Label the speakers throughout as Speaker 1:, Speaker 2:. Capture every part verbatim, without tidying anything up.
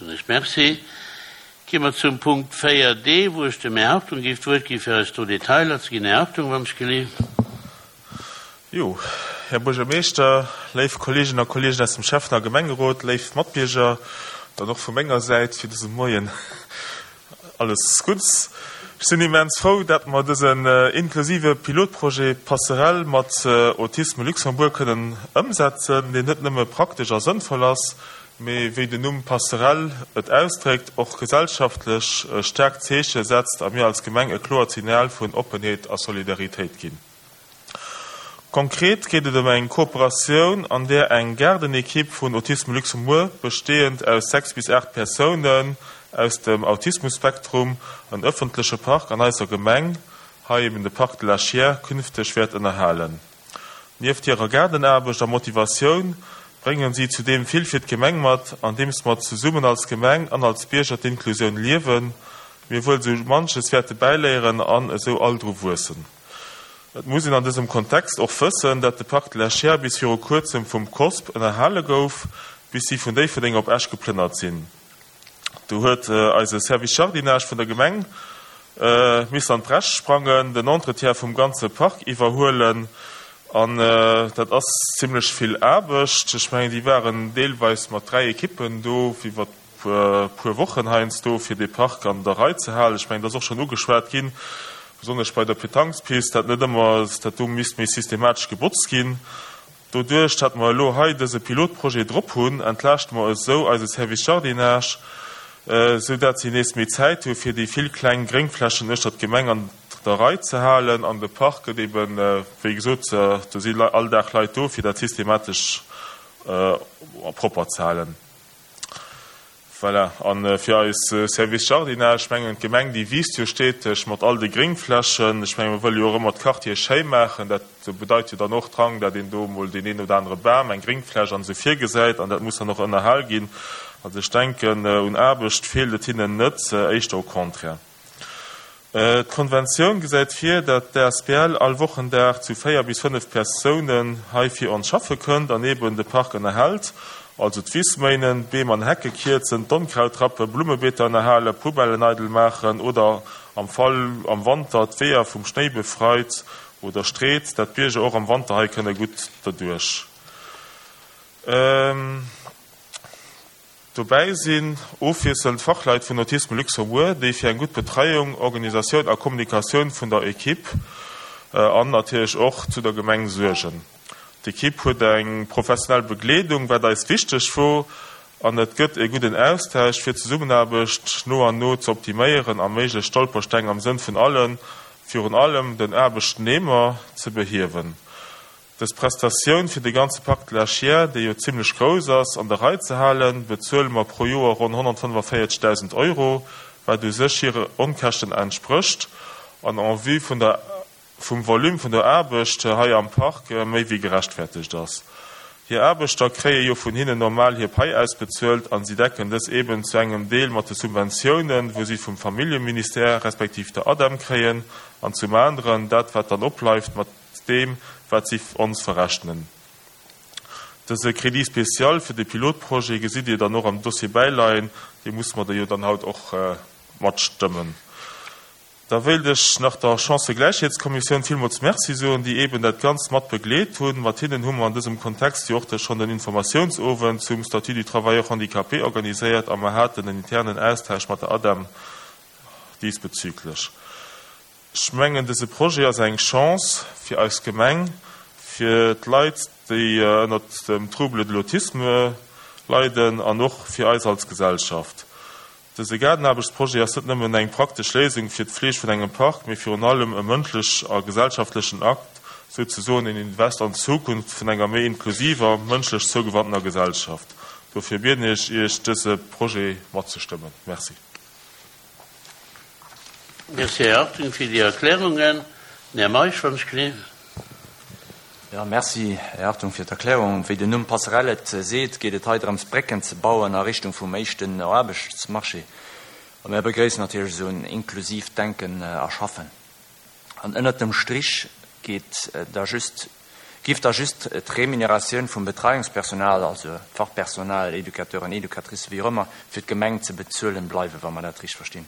Speaker 1: Soen ech Merci. Gi mer zum Punkt véier D, wou ech dem Här Hartung géif d'Wuert gi fir eis do Detailer ze ginn. Här Hartung, wann ech gelift.
Speaker 2: Jo, Här Buergermeeschter, léif Kolleeginnen a Kolleegen aus dem Schäffen a Gemengerot, léif Matbierger, dann och vu menger Säit fir dëse Moien alles Gudds. Ech sinn immens frou, dat mer dësen inklusive Pilotprojet Passerell mat Autisme Luxembourg kënnen ëmsetzen, deen net nëmme praktesch a sënnvoll ass, mee wéi den Numm Passerell et ausdréckt, och gesellschaftlech e staarkt Zeeche setzt a mir als Gemeng e kloert Signal vun Oppenheet a Solidaritéit ginn. Konkret geet et ëm eng Kooperatioun, an där eng Gaardenekipp vun Autisme Luxembourg, besteeënd aus sechs bis aacht Persounen aus dem Autismus-Spektrum, en ëffentleche Park an eiser Gemeng, hei eben de Parc de la Chiers, künfteg wäert ënnerhalen. Nieft hirer Gaardenaarbecht a Motivatioun bréngen si zudeem vill fir d'Gemeng mat, andeems mer zesummen als Gemeng an als Bierger d'Inklusioun liewen, mir wuel sou manches wäerte bäiléieren an esou all dru wuessen. Et muss een an dësem Kontext och wëssen, dat de Parc de la Chiers bis viru kuerzem vum COSP ënnerhale gouf, bis si vun Déifferdeng op Esch geplënnert sinn. Do huet eise Service Jardinage vun der Gemeng missen an d'Bresch sprangen, den Entretien vum ganze Park iwwerhuelen. An dat ass zimlech vill Aarbecht. Ech mengen, déi waren deelweis mat dräi Ekippen do iwwer puer Wochen heiansdo, fir dee Park an der Rei ze halen. Ech mengen, dat ass och schonn ugeschwat ginn, besonnesch bei der Pétangspist, dat net ëmmer, dat do misst méi systematesch gebotzt ginn. Doduerch, datt mer elo hei dëse Pilotprojet drop hunn, entlaaschte mer esou eise Service Jardinage, esou dat si nees méi Zäit hu fir déi vill kleng Gréngflächen uechter d'Gemeng an der Rei ze halen. An de Park gëtt eben, wéi gesot, do si all Dag Leit do, fir dat systematesch propper ze halen. Voilà. A fir eis Service Jardinage, ech mengen, d'Gemeng, déi wiisst jo steteg mat all de Gréngflächen. Ech mengen, mer wëlle jo och ëmmer d'Quartiere schéi maachen. Dat bedeit jo dann och Drang, dat een do emol deen een oder anere Bam, eng Gréngfläch an esou virgesäit. An dat muss dann och ënnerhal ginn. Also ech denken, un Aarbecht feelt et hinnen net, éischter au contraire. D'Konventioun gesäit vir, dat d'A S B L all Wochendag zu véier bis fënnef Persounen hei fir ons schaffe kënnt an eben de Park ënnerhält, also d'Wiss méinen, d'Beem an Hecke kierzen, d'Onkraut rappen, Blummebeeter ënnerhalen, Poubellen eidel maachen oder am Fall am Wanter d'Weeër vum Schnéi befreit oder street, dat d'Bierger och am Wanter hei kënne gutt derduerch. Dobäi sinn ofwiesselnd Fachleit vun Autisme Luxembourg, déi fir eng gutt Betreiung, Organisatioun a Kommunikatioun vun der Ekipp an natierlech och zu der Gemeng suergen. D'Ekipp huet eng professionell Begleedung, wat eis wichteg wor, an et gëtt e gudden Austausch, fir d'Zesummenaarbecht no an no ze optiméieren a méiglech Stolpersteng am Sënn vun allen, virun allem den Aarbechtnehmer, ze behiewen. Dës Prestatioun fir de ganze Parc de la Chiers, dee jo zimlech grouss ass, an der Rei ze halen, bezuele mer pro Joer ronn honnertfënnefavéierzegdausend Euro, wat u sech hire Onkäschten entsprécht an en vue vun der vum Volume vun der Aarbecht hei am Park méi wéi gerechtfertegt ass. Hir Aarbechter kréie jo vun hinnen normal hir Pai ausbezuelt an si decken dës eben zu engem Deel mat de Subventiounen, wou si vum Familljeministère respektiv der ADEM kréien, an zum aneren dat wat dann opbleift mat deem wat si ons verrechnen. Dëse Crédit spécial fir de Pilotprojet gesitt Dir dann och am Dossier bäileien, dee musse mer da jo dann haut och matstëmmen. Da wéilt ech nach der Chancëgläichheetskommissioun villmools Merci soen, déi eben dat Ganzt mat begleet hunn. Mat hinnen hu mer an dësem Kontext jo och schonn den Informatiounsowend zum Statut du travailleur handicapé organiséiert a mer haten en internen Austausch mat der ADEM diesbezüglech. Ech mengen, dëse Projet ass eng Chance fir eis Gemeng, fir d'Leit, déi ënnert dem Trouble de l'autisme leiden an och fir eis als Gesellschaft. Dëse Gaardenaarbechtsprojet ass net nëmmen eng praktesch Léisung fir d'Fleeg vun engem Park, mee virun allem e mënschlech a gesellschaftlechen Akt, souzesoen en Invest an d'Zukunft vun enger méi inklusiver, mënschlech zougewanntener Gesellschaft. Dofir bieden ech Iech, dëse Projet matzestëmmen. Merci.
Speaker 1: Merci, Här Hartung, fir déi Erklärungen. Den Här Meisch, wann ech gelift.
Speaker 3: Jo, merci, Här Hartung, fir d'Erklärung. Wéi den Numm Passerelle et seet, geet et hei drëms, Brécken ze bauen a Richtung vum éischten Aarbechtsmarché. A mir begréissen natierlech esou en inklusiivt Denken a Schaffen. An ënnert dem Strich geet da just, Giff da just d'Remuneratioun vum Betreiungspersonal, also Fachpersonal, Educateuren, Educatricen, wéi och ëmmer, fir d'Gemeng ze bezuelen bleiwen, wa mer dat richteg verstinn.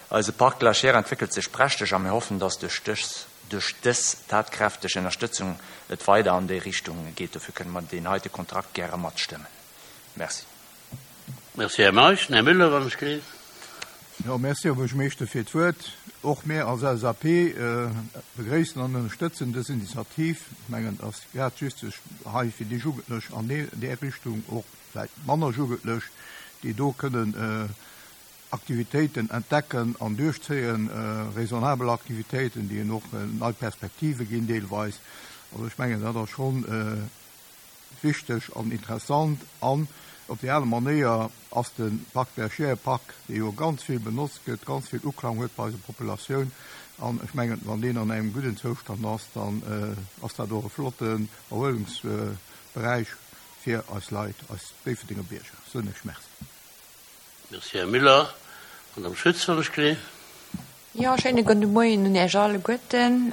Speaker 3: Eise Parc de la Chaire entwéckelt sech prächteg a mir hoffen, dass duerch dës duerch dës tatkräfteg Ënnerstëtzung et weider an déi Richtung geet. Dofir kënne mer deen heite Kontrakt gäre matstëmmen. Merci.
Speaker 1: Merci, Här Meisch. Här Müller, wann ech gleef.
Speaker 4: Jo, merci, Här Buergermeeschter, fir d'Wuert. Och mir als LSAP begréissen an ënnerstëtzen dës Initiativ. Ech mengen, et ass grad just hei fir déi Jugendlech an där Richtung, och vläicht manner Jugendlech, déi do kënnen Aktivitéiten entdecken an duerchzéien, raisonnabel Aktivitéiten, déi hinnen och nei Perspektive ginn deelweis. Also ech mengen, dat ass schonn wichteg an interessant. An op déi aner Manéier ass de Parc Bergère e Park, dee jo ganz vill benotzt gëtt, ganz vill Uklang huet bei eiser Populatioun. An ech mengen, wann deen an engem gudden Zoustand ass, dann ass dat och e flotten Erhuelungsberäich fir eis Leit, eis Déifferdenger Bierger. Soen ech Merci.
Speaker 1: Merci, Här Müller. Madame Schütz, wann ech gleef.
Speaker 5: Jo, schéine gudde Moien un Iech alleguerten.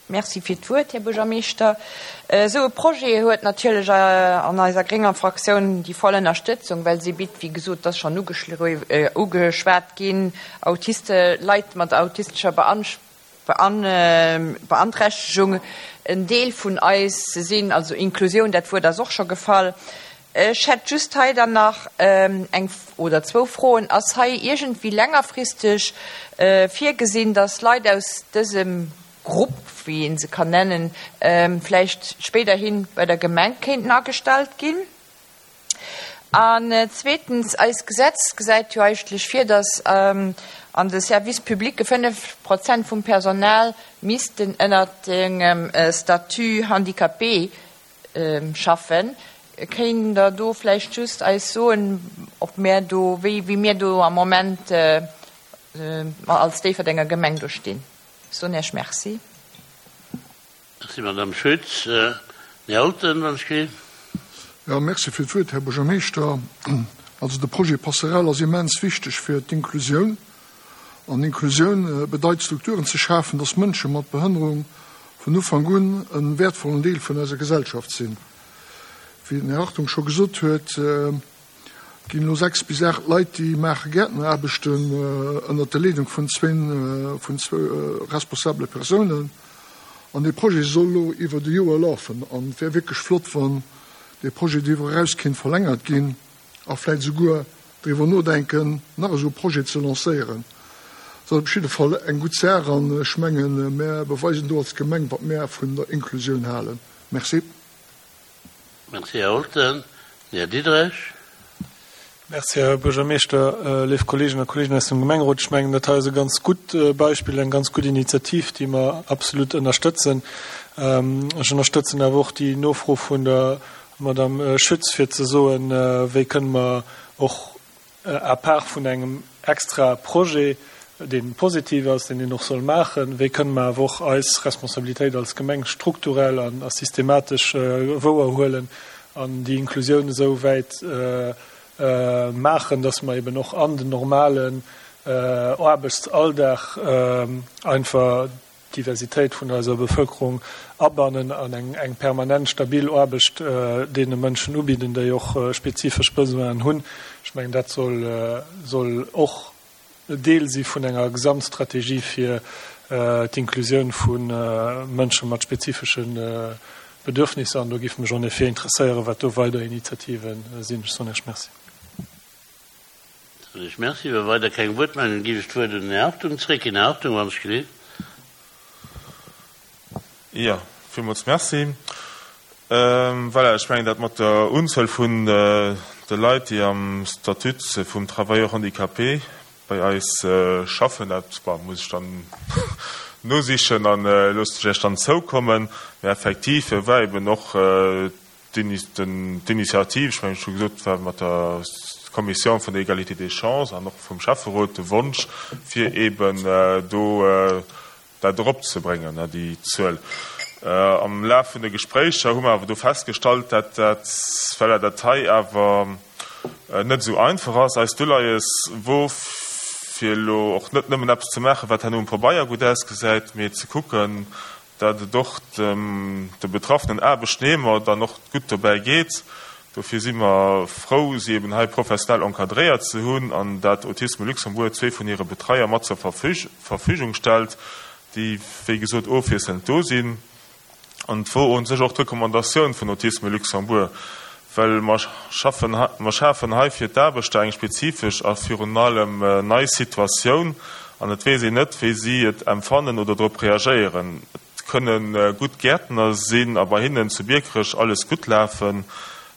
Speaker 5: Merci fir d'Wuert, Här Buergermeeschter. Esou e Projet huet natierlech an eiser grénger Fraktioun déi voll Ënnerstëtzung, well si bitt, wéi gesot, et ass schonn ugeschwat ginn, Autiste, Leit mat autistescher Beanträchtegung en Deel vun eis ze sinn, also Inklusioun, dat Wuert ass och scho gefall. Ech hätt just hei dann nach eng oder zwou Froen. Ass hei iergendwéi längerfristeg virgesinn, dass Leit aus dësem Grupp, wéi ee se kann nennen, vläicht spéiderhi bei der Gemeng kéinten agestallt ginn? An zweetens, eist Gesetz gesäit jo eigentlech vir, dass an de Services publics fënnef Prozent vum Personal missten ënnert engem Statut handicapé schaffen. Kéint Der do vläicht just eis soen, ob mär do, wéi mir do am Moment als Déifferdenger Gemeng do stinn? Ech soen Iech Merci.
Speaker 1: Merci, Madame Schütz. Här Holten, wann ech gleef.
Speaker 6: Jo, merci fir d'Wuert, Här Buergermeeschter. Also de Projet Passerell ass immens wichteg fir d'Inklusioun. An Inklusioun bedeit, Strukturen ze schafen, dass Mënsche mat Behënnerung vun Ufank un e wäertvollen Deel vun eiser Gesellschaft sinn. Wéi den Här Hartung scho gesot huet, ginn elo sechs bis aacht Leit, déi maache Gäertneraarbechten ënnert der Leedung vun zwéin, vun zwou responsabele Persounen. An dee Projet soll elo iwwert e Joer lafen. An et wär wierklech flott, wann dee Projet driwwer eraus kéint verlängert ginn a vläicht esouguer driwwer nodenken, nach esou e Projet ze lancéieren. Dat ass op jidde Fall eng gutt Saach an ech mengen, mär beweisen do als Gemeng, wat mär vun der Inklusioun halen. Merci.
Speaker 1: Merci, Här Holten. Här Diderich.
Speaker 7: Merci, Här Buergermeeschter, léif Kolleegen a Kolleegen aus dem Gemengerot. Ech mengen, dat hei ass e ganz gutt Beispill, eng ganz gutt Initiativ, déi mer absolut ënnerstëtzen. Ech ënnerstëtzen awer och déi Nofro vun der Madame Schütz, fir ze soen, wéi kënne mer och à part vun engem extra Projet, dee positiv ass, deen een och soll maachen, wéi kënne mer awer och eis Responsabilitéit als Gemeng strukturell a systematesch wouerhuelen an déi Inklusioun esou wäit maachen, dass mer eben och an den normalen Aarbechtsalldag einfach d'Diversitéit vun eiser Bevëlkerung abannen an eng permanent stabil Aarbecht deene Mënschen ubidden, déi och spezifesch Besoinen hunn. Ech mengen, dat soll och Deel si vun enger Gesamtstrategie fir d'Inklusioun vu Mënsche mat spezifesche Bedürfnisser. An do géif mech en effet interesséieren, wat do weider Initiative sinn. Ech soen Iech Merci.
Speaker 1: Soen Iech Merci. Wa weider keng Wuertmeldungen, ginn ech d'Wuert un den Här Hartung zréck. Här Hartung, wann ech gleef.
Speaker 2: Jo, villmools Merci. Voilà, ech mengen, dat mat der Unzuel vun de Leit, déi am Statut vum Travailleur handicapé bei eis schaffen, dat, bon, muss ech dann nosichen a loossen ech Iech dann zoukommen. Mä effektiv war eben och d'Initiativ, ech mengen, ech hu gesot, war mat der Commission vun der Égalité des chances an och vum Schäfferot de Wonsch, fir eben do dat eropzebréngen, déi Zuel. Am Laf vun de Gespréicher hu mer awer do festgestallt, dat dat, voilà, dat hei awer net esou einfach ass. Eist Uleies wor, fir elo och net nëmmen eppes ze maachen, wat herno um Pabeier gutt ausgesäit, mee ze kucken, dat et och dem de betraffenen Aarbechtnehmer dann och gutt dobäi geet. Dofir si mer frou, si eben hei professionell encadréiert ze hunn an dat Autisme Luxembourg zwee vun hire Betreier mat zur Verfügung stellt, déi wéi gesot ofwiesselnd do sinn. An et wor un sech och d'Recommandatioun vun Autisme Luxembourg, well mer schaffen, mer schafen hei fir d'Aarbechter eng spezifesch a virun allem nei Situatioun an et weess een net, wéi si et empfannen oder drop reagéieren. Et kënne gutt Gäertner sinn a bei hinnen zu Biekerech alles gutt lafen,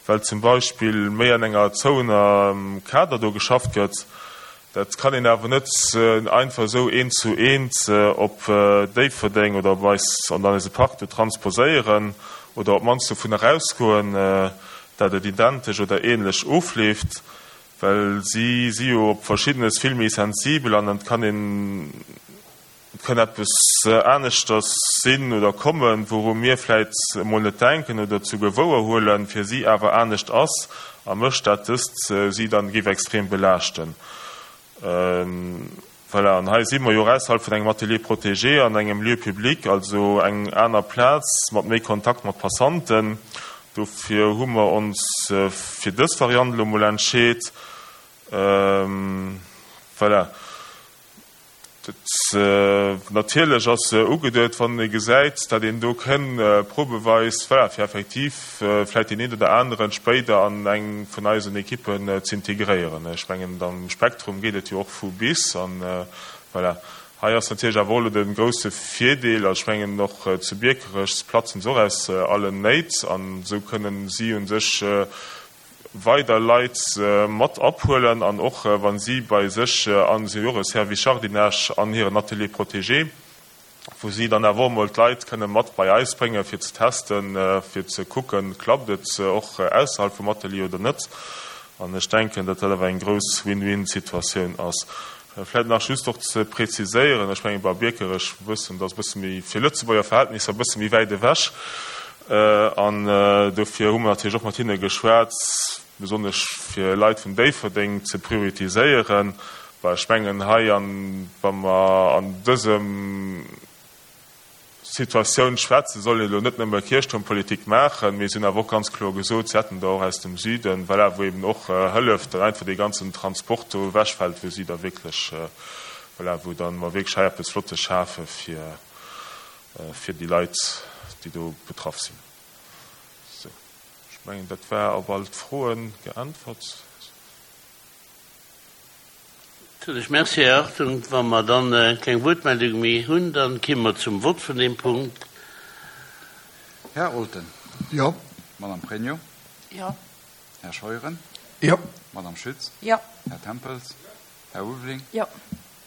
Speaker 2: well zum Beispill méi an enger zouener Kader do geschafft gëtt. Dat kann een awer net einfach esou eent zu eent op Déifferdeng oder op eis, an eise Park do transposéieren oder op d'mannst dovun erausgoen, dat et identesch oder ähnlech ofleeft, well si si jo op Verschiddenes vill méi sensibel an et kann een, et kann eppes aneschters sinn oder kommen, wouru mir vläit emol net denken oder zu gewouer huelen, fir si awer anescht ass a mécht, dat dëst si dann géif extrem belaaschten. Voilà, an hei si mer jo och ausserhalb vun engem Atelier protégé an engem Lieu public, also eng aner Plaz mat méi Kontakt mat Passanten. Dofir hu mer ons fir dës Variant elo mol entscheet. Voilà. Dat natierlech ass ugeduet, wann ee gesäit, datt een do kënn probeweis, voilà, fir effektiv vläicht deen een oder aneren spéider an eng vun eisen Ekippen z'integréieren. Ech mengen, am Spektrum geet et jo och vu bis. An voilà, hei ass natierlech awer och elo de grouse Virdeel, also ech mengen och zu Biekerech platzen se och aus allen Néit an esou kënnen si u sech weider Leit mat aphuelen an och wa si bei sech an, si hu jo och e Service Jardinage an hiren Atelier protégé, wou si dann awer och emol d'Leit kënne mat bei eis bréngen, fir ze testen, fir ze kucken, klappt et och ausserhalb vum Atelier oder net. An ech denken, datt dat awer eng grouss Win-win-Situatioun ass. Vläicht nach just och ze präziséieren, ech menge bei Biekerech wëssen, dat ass e bësse méi, fir Lëtzebuerger Verhältnisser e bësse méi wäit ewech. An dofir hu mer natierlech och mat hinne geschwat, besonnesch fir Leit vun Déifferdeng ze prioritiséieren, well ech mengen hei, wa mer an dësem Situatioun schwätzen, soll een elo net nëmme Kierchtuermpolitik maachen, mee si hunn awer och ganz kloer gesot, si hätten der och aus dem Süden, voilà, wou eben och hëlleft, datt einfach dee ganzen Transport do ewechfält, wou si da wierklech, voilà, wou dann mer wierklech hei eppes Flottes schafe fir, fir déi Leit, déi do betraff sinn. Sou, ech mengen, dat war op all d'Froen geäntwert.
Speaker 1: Natierlech. Merci, Här Hartung. Wa mer dann keng Wuertmeldunge méi hunn, da kimme mer zum Vott vun deem Punkt.
Speaker 8: Här Olten.
Speaker 6: Jo.
Speaker 8: Madame Pregno.
Speaker 5: Jo.
Speaker 8: Här Scheuren.
Speaker 6: Jo.
Speaker 8: Madame Schütz.
Speaker 5: Jo.
Speaker 8: Här Tempels. Här Ulveling.
Speaker 5: Jo.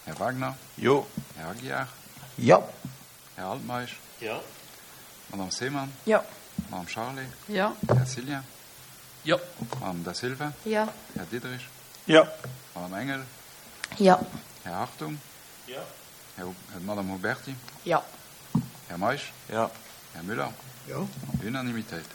Speaker 8: Här Wagner.
Speaker 3: Jo.
Speaker 8: Här Aguiar.
Speaker 9: Jo.
Speaker 8: Här Altmeisch.
Speaker 1: Jo.
Speaker 8: Madame Seemann.
Speaker 5: Jo.
Speaker 8: Madame Charlé.
Speaker 5: Jo.
Speaker 8: Här Cillien.
Speaker 3: Jo.
Speaker 8: Madame Da Silva.
Speaker 5: Jo.
Speaker 8: Här Diderich.
Speaker 7: Jo.
Speaker 8: Madame Engel.
Speaker 5: Jo.
Speaker 8: Här Hartung.
Speaker 2: Jo.
Speaker 8: Här, Madame Huberti.
Speaker 5: Jo.
Speaker 8: Här Meisch.
Speaker 3: Jo.
Speaker 8: Här Müller.
Speaker 4: Jo.
Speaker 8: Unanimitéit.